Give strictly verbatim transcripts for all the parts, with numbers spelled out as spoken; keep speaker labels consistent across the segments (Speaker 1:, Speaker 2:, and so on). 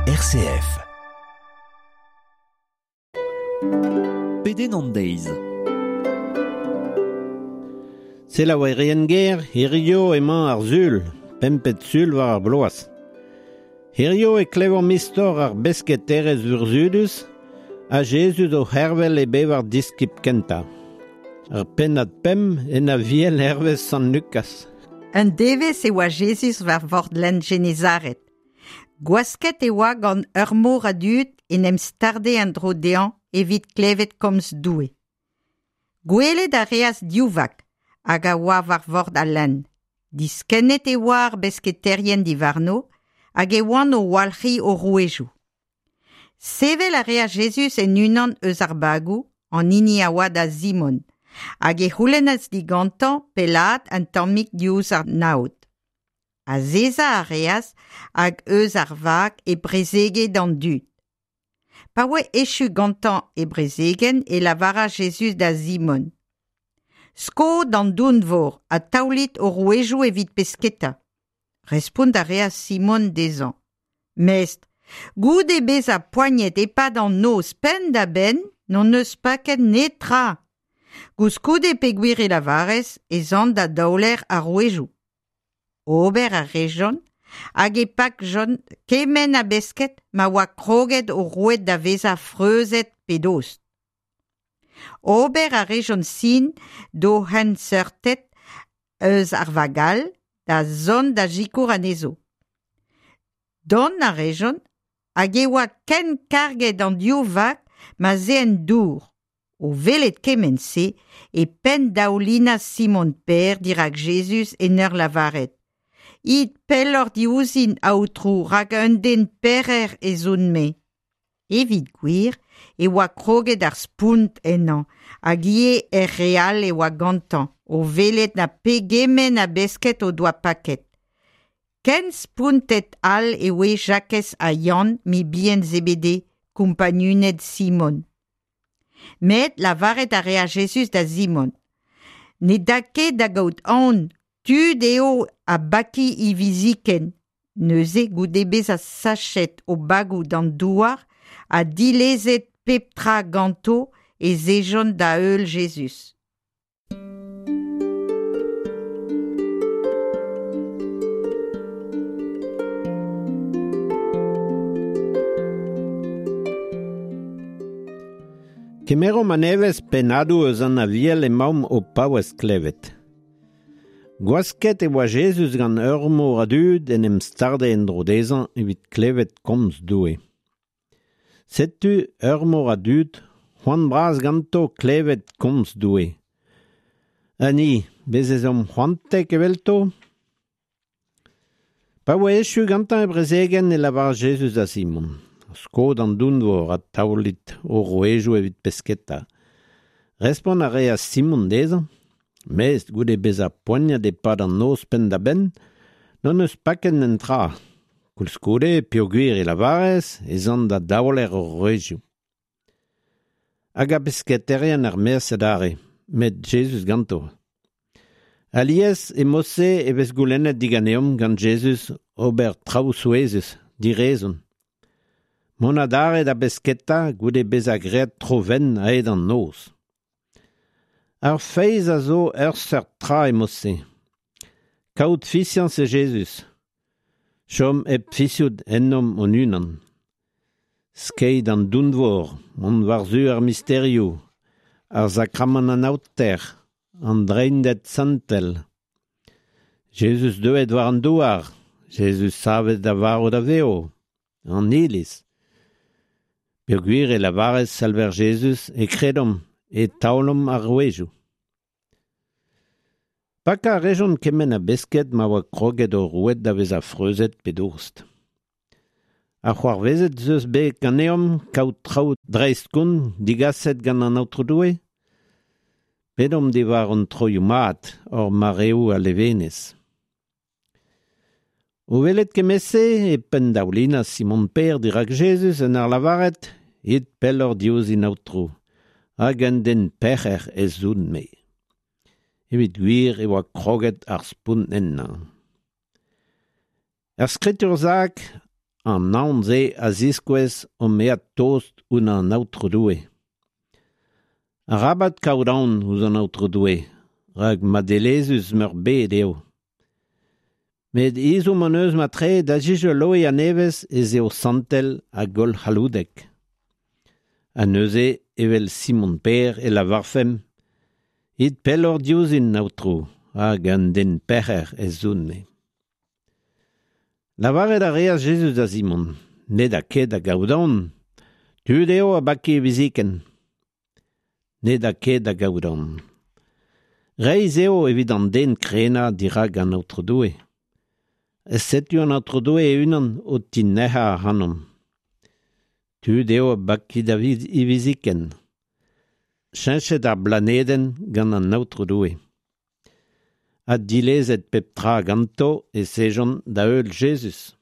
Speaker 1: R C F.
Speaker 2: Pedenn an deiz.
Speaker 3: Selaouerien ger, hirio emañ ar sul, pempet sul war ar bloaz. Hirio e klevomp istor ar besketerez vurzhudus ha Jezuz o c'hervel e bevar diskibl kentañ. Ar pennad pemp en Aviel hervez Sant Lukaz.
Speaker 4: Un devezh e oa Jezuz war vord lenn Genezaret. Gwasket e oa gant ur mor a dud en em starde en-dro dezhañ evit klevet komz Doue. Gwelet a reas div vag hag a oa war vord al lenn. Diskennet e oa ar besketerien diwarno hag e oant o walc'hiñ o rouedoù. Sevel a reas Jezuz en unan eus ar bagoù, an hini a oa da Simon, hag e c'houlennas digantañ pellaat un tammig diouzh an aod. Azezañ a reas hag eus ar vag e prezege d'an dud. Pa oa echu gantañ e brezegenn e lavaras Jezuz da Simon. Sko d'an dounvor ha taolit ho rouedoù evit pesketa. Respont a reas Simon dezhañ. Mestr, goude bezañ poaniet e-pad an noz penn-da-benn, n'hon eus paket netra. Koulskoude peogwir e lavarez ez an da daoler ar rouedoù. Ober a rejont hag e pakjont kement a besked ma oa kroget o roued da vezañ freuzet pe dost. Ober a rejont sin d'o c'henseurted eus ar vag all da zont da sikour anezho. Dont a rejont hag e oa ken karget an div vag ma'z aent dour. O welet kement-se e penndaoulinas Simon Pêr dirak Jezuz en ur lavaret. It pelloc'h diouzhin, Aotrou, rak un den pec'her ez on-me. Evit gwir e oa kroget ar spont ennañ, hag ivez er re all e oa gantañ, o welet na pegement a besked o doa paket. Ken spontet all e oa Jakez ha Yann, mibien Zebede, kompagnuned Simon. Met lavaret a reas Jezuz da Simon. Ne da ket da gaout aon, tud eo a baki hiviziken. Neuze goude bezañ sachet o bagoù d'an douar ha dilezet pep tra ganto ez ejont da heul Jezuz.
Speaker 3: Kemeromp a-nevez pennadoù eus an Aviel emaomp o paouez klevet. Gwasket e oa Jezuz gant ur mor a dud en em starde en-dro dezhañ evit klevet komz Doue. Setu ur mor a dud, c'hoant bras ganto klevet komz Doue. Ha ni, bez' ez omp c'hoantek evelto? Pa oa echu gantañ e brezegenn e lavaras Jezuz da Simon. Sko d'an dounvor ha taolit ho rouedoù evit pesketa. Respont a reas Simon dezhañ. Mestr, goude bezañ poaniet e-pad an noz penn-da-benn, n'hon eus paket netra. Koulskoude, peogwir e lavarez, ez an da daoler hor rouedoù. Hag ar besketerien er-maez adarre, met Jezuz ganto. Alies e mod-se e vez goulennet diganeomp gant Jezuz ober traoù souezhus, direzon. Mont adarre da besketa goude bezañ graet tro-wenn a-hed an noz. Ar feiz a zo ur seurt tra e mod-se. Kaout fiziañs e Jezuz. Chom hep fiziout ennomp hon-unan. Skeiñ d'an dounvor, mont war-zu ar misterioù, ar sakramant an aoter, an Dreinded santel. Jezuz deuet war an douar, Jezuz savet a varv da vev, an Iliz. Peogwir e lavarez Salver Jezuz e kredomp e taolomp ar rouedoù. Pakañ a rejont kement a besked ma oa kroget o roued da vezañ freuzet pe dost. Ha c'hoarvezet ez eus bet ganeomp kaout traoù dreist-kont digaset gant an Aotrou Doue? Pedomp diwar hon troioù mat, hor mareoù a levenez. O welet kement-se e penndaoulinas Simon Pêr dirak Jezuz en ur lavaret It pelloc'h diouzhin Aotrou, hag un den pec'her ez on-me. Evit gwir e oa kroget ar spont ennañ. Er skritur sakr, An aon-se a ziskouez omp aet tost ouzh an Aotrou Doue. Arabat kaout aon ouzh an Aotrou Doue, rak madelezhus meurbet eo. Met ezhomm hon eus matre da zizoloiñ a-nevez ez eo santel hag hollc'halloudek. Ha neuze, evel Simon Per e lavarfemp, it pelloc'h diouzhin, Aotrou, hag un den pec'her ez on-me. Lavaret a reas Jezuz da Simon, ne da ket da gaout aon, tud eo a baki hiviziken. Ne da ket da gaout aon. Reizh eo evit an den krenañ dirak an Aotrou Doue. Setu an Aotrou Doue e-unan o tinec'hañ ac'hanomp. Tud eo a baki da hiviziken. Cheñchet ar blanedenn gant an Aotrou Doue. Ha dilezet pep tra ganto e sejont da heul Jezuz.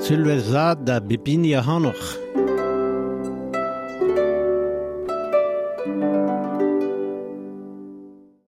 Speaker 3: Sulvezh vat da bep hini ac'hanoc'h.